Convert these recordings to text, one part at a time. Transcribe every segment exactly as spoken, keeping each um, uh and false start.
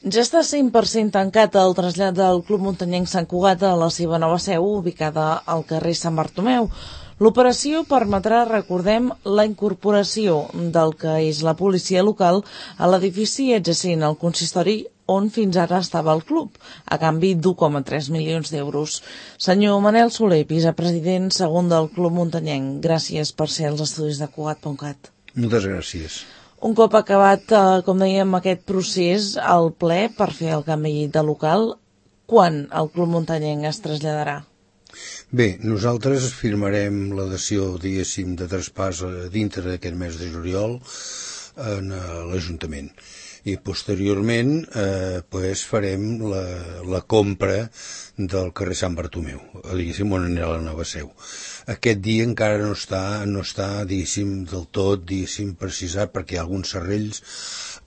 Ja està cent per cent tancat el trasllat del Club Muntanyenc Sant Cugat a la seva nova seu, ubicada al carrer Sant Bartomeu. L'operació permetrà, recordem, la incorporació del que és la policia local a l'edifici adjacent al consistori on fins ara estava el club, a canvi d'u coma tres milions d'euros. Senyor Manel Soler, vicepresident segon del Club Muntanyenc, gràcies per ser als estudis de Cugat punt cat. Moltes gràcies. Un cop acabat, eh, com dèiem, aquest procés, al ple per fer el canvi de local, quan el Club Muntanyenc es traslladarà? Bé, nosaltres firmarem l'adhesió, diguéssim, de traspàs dintre d'aquest mes de juliol en l'Ajuntament. I posteriorment eh, pues farem la, la compra del carrer Sant Bartomeu, diguéssim, on anirà la nova seu. Aquest dia encara no està, no està diguéssim, del tot, diguéssim, precisat, perquè hi ha alguns serrells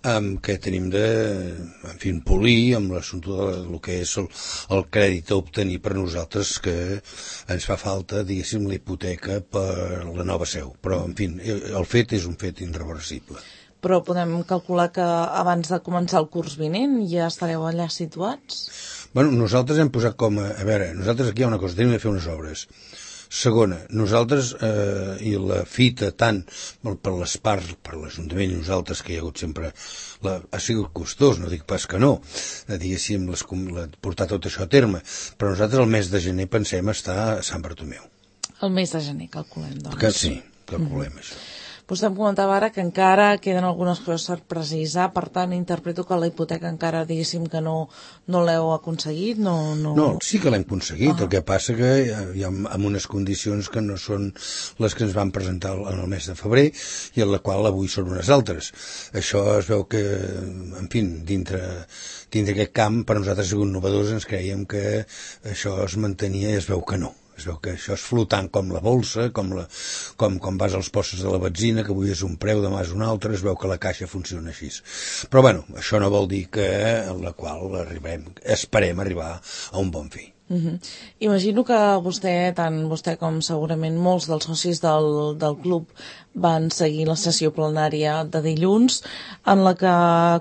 um, que tenim de, en fi, polir amb l'assumpte del que és el, el crèdit a obtenir per nosaltres, que ens fa falta, diguéssim, la hipoteca per la nova seu. Però, en fi, el fet és un fet irreversible. Però podem calcular que abans de començar el curs vinent ja estareu allà situats? Bueno, nosaltres hem posat com a... A veure, nosaltres aquí hi ha una cosa, tenim de fer unes obres. Segona, nosaltres, eh, i la fita tant per les parts, per l'Ajuntament i nosaltres, que hi ha hagut sempre... La, ha sigut costós, no dic pas que no, eh, diguéssim, les, la, portar tot això a terme, però nosaltres el mes de gener pensem estar a Sant Bartomeu. El mes de gener, calculem, doncs. Que sí, calculem mm-hmm. això. Vostè em comentava ara que encara queden algunes coses per precisar, per tant, interpreto que la hipoteca encara, diguéssim, que no, no l'heu aconseguit, no... No, no sí que l'hem aconseguit, ah. El que passa que hi ha amb unes condicions que no són les que ens van presentar en el mes de febrer i en la qual avui són unes altres. Això es veu que, en fi, dintre, dintre aquest camp, per nosaltres ha sigut innovadors, ens creiem que això es mantenia i es veu que no. Es veu que això és flotant com la bolsa, com, la, com, com vas als postos de la benzina, que avui és un preu, demà és un altre, es veu que la caixa funciona així. Però bueno, això no vol dir que en la qual arribem, esperem arribar a un bon fi. Uh-huh. Imagino que vostè, tant vostè com segurament molts dels socis del, del club van seguir la sessió plenària de dilluns, en la que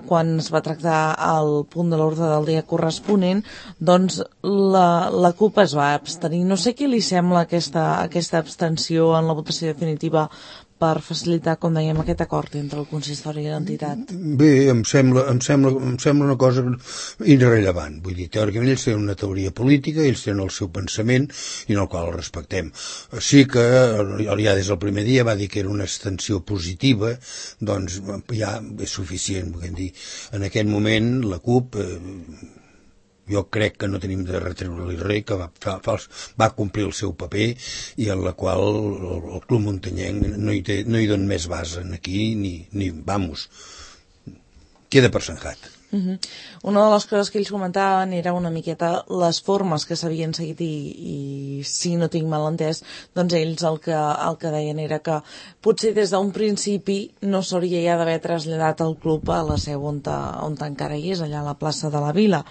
quan es va tractar el punt de l'ordre del dia corresponent, doncs la, la CUP es va abstenir. No sé què li sembla aquesta, aquesta abstenció en la votació definitiva per facilitar, com dèiem, aquest acord entre el consistori i l'entitat? Bé, em sembla, em sembla, em sembla una cosa irrellevant. Vull dir, teòricament ells tenen una teoria política, ells tenen el seu pensament i en el qual el respectem. Sí que ja des del primer dia va dir que era una extensió positiva, doncs ja és suficient. Vull dir, en aquest moment la CUP... Eh, jo crec que no tenim de retreure-li res, que va, fa, va complir el seu paper i en la qual el, el Club Muntanyenc no hi, té, no hi dona més base aquí, ni, ni vamos, queda per sanjat. Uh-huh. Una de les coses que ells comentaven era una miqueta les formes que s'havien seguit i, i si no tinc mal entès, doncs ells el que, el que deien era que potser des d'un principi no s'hauria ja d'haver traslladat el club a la seu on, ta, on ta encara hi és, allà a la plaça de la Vila.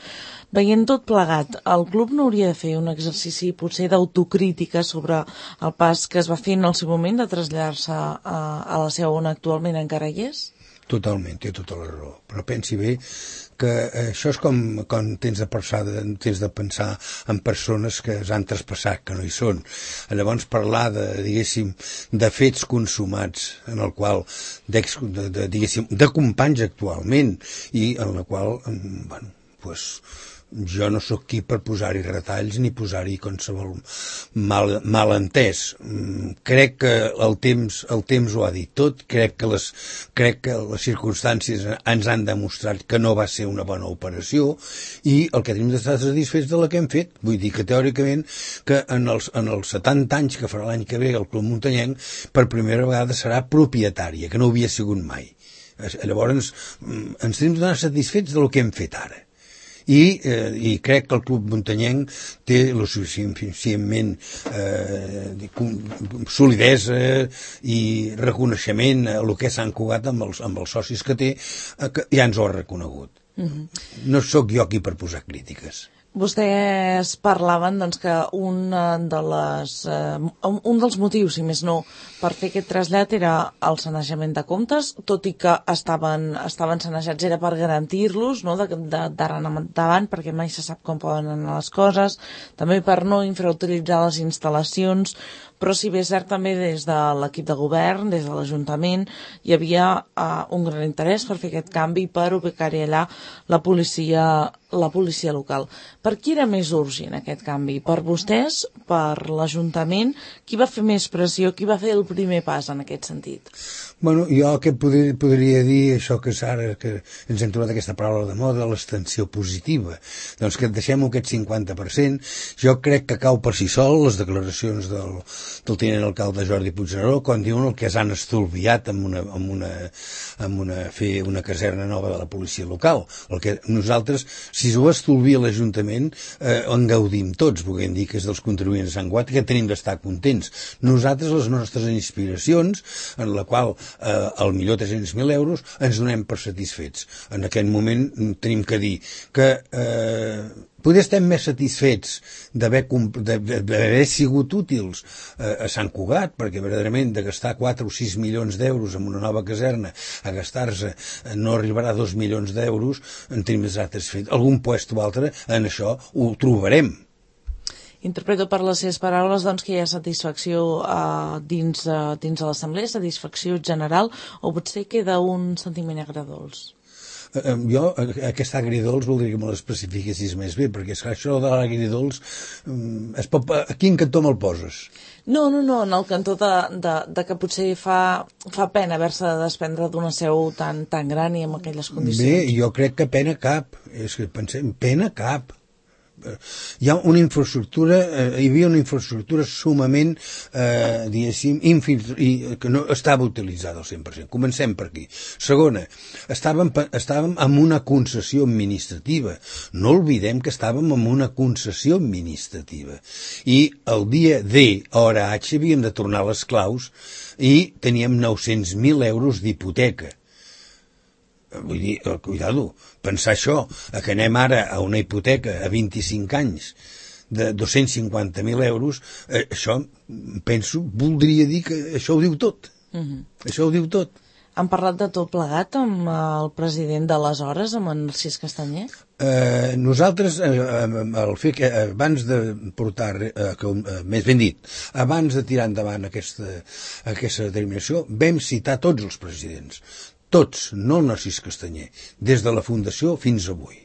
Veient tot plegat, el club no hauria de fer un exercici potser d'autocrítica sobre el pas que es va fer en el seu moment de traslladar-se a, a la seu on actualment encara hi és? Totalment, té tota la raó. Però pensi bé que això és com quan tens de pensar, tens de pensar en persones que s'han traspassat, que no hi són. Llavors parlar de, diguéssim, de fets consumats en el qual, de, de, diguéssim, de companys actualment i en la qual, bueno, pues, jo no sóc qui per posar-hi retalls ni posar-hi qualsevol mal, malentès. Crec que el temps, el temps ho ha dit tot, crec que, les, crec que les circumstàncies ens han demostrat que no va ser una bona operació i el que tenim d'estar satisfets de la que hem fet. Vull dir que teòricament que en els, en els setanta anys que farà l'any que ve el Club Muntanyenc per primera vegada serà propietària, que no ho havia sigut mai. Llavors ens tenim d'anar satisfets del que hem fet ara. I, eh, i crec que el Club Muntanyenc té lo suficientment eh, solidesa i reconeixement a el que s'han Cugat amb els, amb els socis que té, eh, que ja ens ho ha reconegut. Uh-huh. No sóc jo aquí per posar crítiques. Vostès parlaven doncs, que un, de les, eh, un dels motius, si més no, per fer aquest trasllat era el sanejament de comptes, tot i que estaven, estaven sanejats era per garantir-los, no?, d'ara endavant, perquè mai se sap com poden anar les coses, també per no infrautilitzar les instal·lacions, però si bé és cert també des de l'equip de govern, des de l'Ajuntament, hi havia uh, un gran interès per fer aquest canvi, per ubicar-hi allà la policia, la policia local. Per qui era més urgent aquest canvi? Per vostès? Per l'Ajuntament? Qui va fer més pressió? Qui va fer el primer pas en aquest sentit? Bueno, jo que podria, podria dir això que ara que ens hem trobat aquesta paraula de moda, l'extensió positiva. Doncs que deixem aquest cinquanta per cent. Jo crec que cau per si sol les declaracions del, del tinent alcalde Jordi Puigneró quan diuen el que s'han estalviat amb una, amb una, amb una, fer una caserna nova de la policia local. El que nosaltres, si ho estalvia l'Ajuntament, eh, en gaudim tots, volguem dir que és dels contribuents de Sant Guat, que tenim d'estar contents. Nosaltres, les nostres inspiracions, en la qual eh, al millor tres-cents mil euros, ens donem per satisfets. En aquest moment tenim que dir que eh, potser estem més satisfets d'haver sigut útils eh, a Sant Cugat, perquè verdaderament de gastar quatre o sis milions d'euros en una nova caserna a gastar-se eh, no arribarà a dos milions d'euros, en tenim més satisfets. Algun puesto o altre en això ho trobarem. Interpreto per les seves paraules doncs, que hi ha satisfacció uh, dins, uh, dins de l'Assemblea, satisfacció general, o potser queda un sentiment agredolç? Uh, jo, aquest agridolç voldria que me l'especifiquessis més bé, perquè és que això de l'agridolç, um, es pot, a quin cantó me'l poses? No, no, no, en el cantó de, de, de que potser fa, fa pena haver-se de desprendre d'una seu tan, tan gran i amb aquelles condicions. Bé, jo crec que pena cap, és que pensem, pena cap. Hi ha una infraestructura, eh, hi havia una infraestructura sumament, eh, diguéssim, infil- i, que no estava utilitzada al cent per cent. Comencem per aquí. Segona, estàvem, estàvem amb una concessió administrativa. No oblidem que estàvem amb una concessió administrativa. I el dia D, hora H, havíem de tornar les claus i teníem nou-cents mil euros d'hipoteca. Vull dir, cuidado, pensar això, que anem ara a una hipoteca a vint-i-cinc anys de dos-cents cinquanta mil euros, eh, això, penso, voldria dir que això ho diu tot. Uh-huh. Això ho diu tot. Han parlat de tot plegat amb el president d'aleshores, amb en Narcís Castanyer? Eh, nosaltres, eh, el fer que abans de portar, eh, que, eh, més ben dit, abans de tirar endavant aquesta, aquesta determinació, vam citar tots els presidents. Tots, no el Narcís Castanyer, des de la fundació fins avui.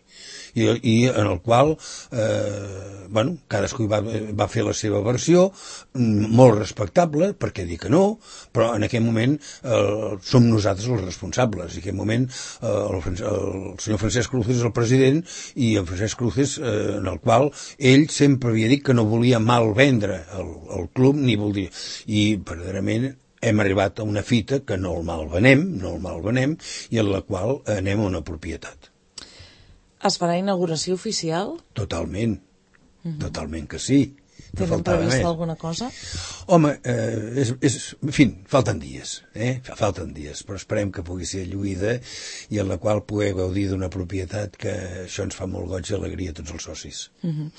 I, i en el qual, eh, bueno, cadascú va, va fer la seva versió, molt respectable, perquè dir que no, però en aquell moment eh, som nosaltres els responsables. En aquell moment eh, el, el senyor Francesc Cruces és el president i en Francesc Cruces, eh, en el qual ell sempre havia dit que no volia mal vendre el, el club, ni volia... I, verdaderament, hem arribat a una fita que no el malvenem, no el malvenem, i en la qual anem a una propietat. Es farà inauguració oficial? Totalment, uh-huh. Totalment que sí. No tenen previst alguna cosa? Home, eh, és, és, en fi, falten dies, eh? falten dies, però esperem que pugui ser lluïda i en la qual poder gaudir d'una propietat que això ens fa molt goig i alegria a tots els socis. Uh-huh.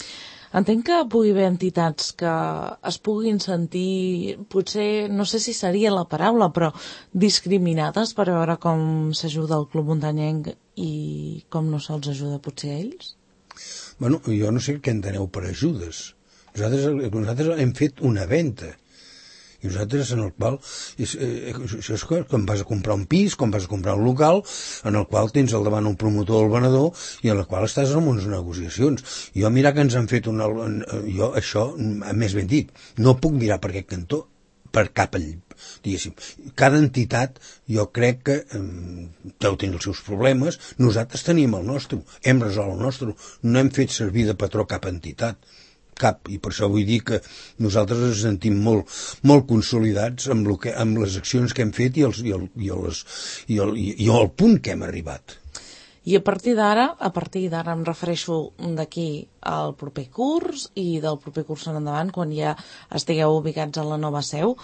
Entenc que pugui haver entitats que es puguin sentir, potser, no sé si seria la paraula, però discriminades per veure com s'ajuda el Club Muntanyenc i com no se'ls ajuda potser a ells? Bueno, jo no sé què enteneu per ajudes. Nosaltres, nosaltres hem fet una venda. I nosaltres en el qual, és, eh, això és quan vas a comprar un pis, quan vas a comprar un local, en el qual tens al davant un promotor o el venedor i en el qual estàs en unes negociacions. Jo mirar que ens han fet una... Jo això, més ben dit, no puc mirar per aquest cantó, per cap all, diguéssim. Cada entitat, jo crec que eh, deu tenir els seus problemes, nosaltres tenim el nostre, hem resolt el nostre, no hem fet servir de patró cap entitat. Cap, i per això vull dir que nosaltres ens sentim molt, molt consolidats amb, lo que, amb les accions que hem fet i, els, i, el, i, les, i, el, i el punt que hem arribat. I a partir d'ara, a partir d'ara em refereixo d'aquí al proper curs i del proper curs en endavant, quan ja estigueu ubicats a la nova seu,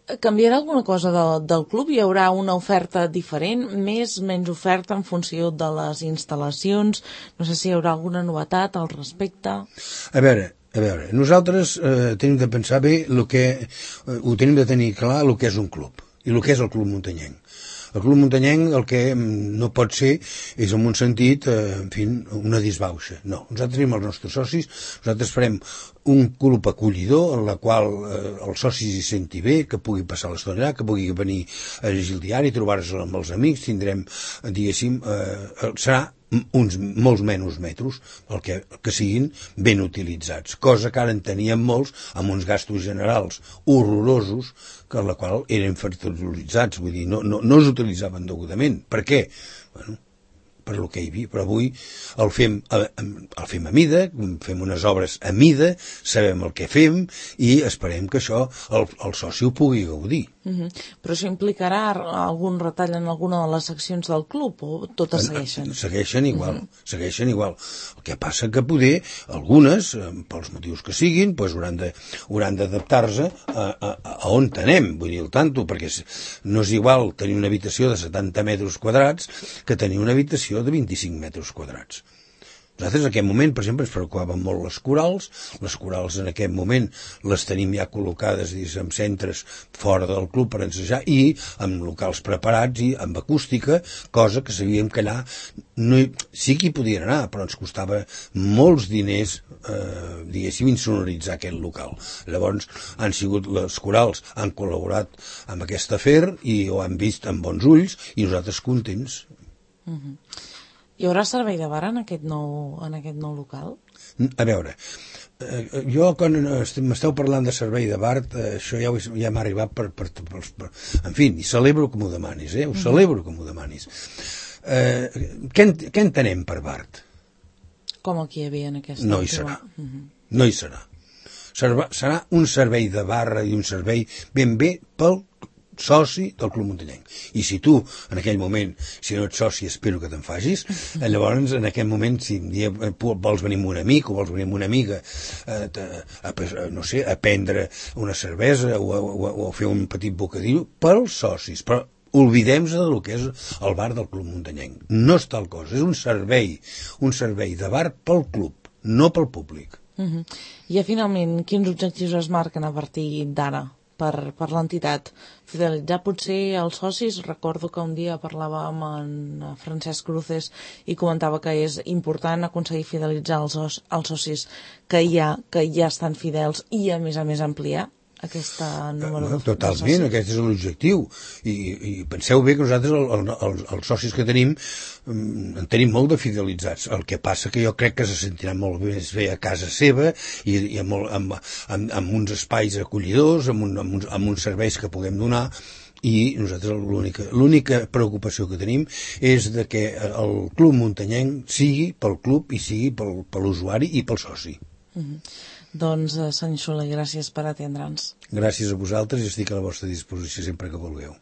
Canviarà alguna cosa de, del club? Hi haurà una oferta diferent, més, menys oferta en funció de les instal·lacions? No sé si hi haurà alguna novetat al respecte. A veure, a veure, nosaltres eh, tenim de pensar bé el que, eh, ho tenim de tenir clar el que és un club i el que és el Club Muntanyenc. El Club Muntanyenc el que no pot ser és en un sentit, eh, en fi, una disbauxa. No, nosaltres tenim els nostres socis, nosaltres farem un club acollidor en la qual eh, els socis hi senti bé, que pugui passar l'estona allà, que pugui venir a llegir el diari, trobar-se amb els amics, tindrem, diguéssim, eh, serà uns molts menys metres, el que, que siguin ben utilitzats, cosa que ara en teníem molts amb uns gastos generals horrorosos, que la qual eren fertilitzats, vull dir, no, no, no es utilitzaven degudament. Per què? Bueno, per lo que hi havia, però avui el fem a, el fem a mida, fem unes obres a mida, sabem el que fem i esperem que això el, el soci ho pugui gaudir. Uh-huh. Però això implicarà algun retall en alguna de les seccions del club o totes segueixen? Segueixen igual, uh-huh. segueixen igual. El que passa que poder, algunes, pels motius que siguin, doncs hauran de, hauran d'adaptar-se a, a, a on tenem, vull dir, el tanto, perquè no és igual tenir una habitació de setanta metres quadrats que tenir una habitació de vint-i-cinc metres quadrats. Nosaltres en aquest moment, per exemple, ens preocupaven molt les corals. Les corals en aquest moment les tenim ja col·locades en centres fora del club per ensejar i amb locals preparats i amb acústica, cosa que sabíem que allà no hi, sí que hi podien anar, però ens costava molts diners, eh, diguéssim, insonoritzar aquest local. Llavors han sigut les corals, han col·laborat amb aquest afer i ho han vist amb bons ulls i nosaltres contents. Uh-huh. Hi haurà servei de bar en aquest nou, en aquest nou local? A veure, eh, jo quan m'esteu parlant de servei de bar, eh, això ja, ja m'ha arribat per, per, per, per... En fi, i celebro que m'ho demanis, eh? Ho celebro que m'ho demanis. Eh, què, en, què entenem per bar? Com el que hi havia en aquesta... No hi serà. Uh-huh. No hi serà. Serà. Serà un servei de barra i un servei ben bé pel soci del Club Muntanyenc. I si tu, en aquell moment, si no ets soci, espero que te'n facis, llavors, en aquell moment, si un dia vols venir amb un amic o vols venir amb una amiga a, a, a no sé, a prendre una cervesa o a, o, a, o a fer un petit bocadillo pels socis, però oblidem-nos del que és el bar del Club Muntanyenc. No és tal cosa, és un servei, un servei de bar pel club, no pel públic. Uh-huh. I finalment, quins objectius es marquen a partir d'ara per, per l'entitat? Fidelitzar potser els socis? Recordo que un dia parlava amb en Francesc Cruces i comentava que és important aconseguir fidelitzar els, els socis que hi ha, que ja estan fidels i a més a més ampliar aquesta número de, totalment, de socis. Aquest és l'objectiu i, i penseu bé que nosaltres el, el, el, els socis que tenim en tenim molt de fidelitzats, el que passa que jo crec que se sentiran molt més bé a casa seva i, i amb, amb, amb, amb uns espais acollidors, amb, un, amb, uns, amb uns serveis que puguem donar i nosaltres l'única, l'única preocupació que tenim és de que el Club Muntanyenc sigui pel club i sigui pel, per l'usuari i pel soci. Uh-huh. Doncs, senyor Soler, gràcies per atendre'ns. Gràcies a vosaltres i estic a la vostra disposició sempre que vulgueu.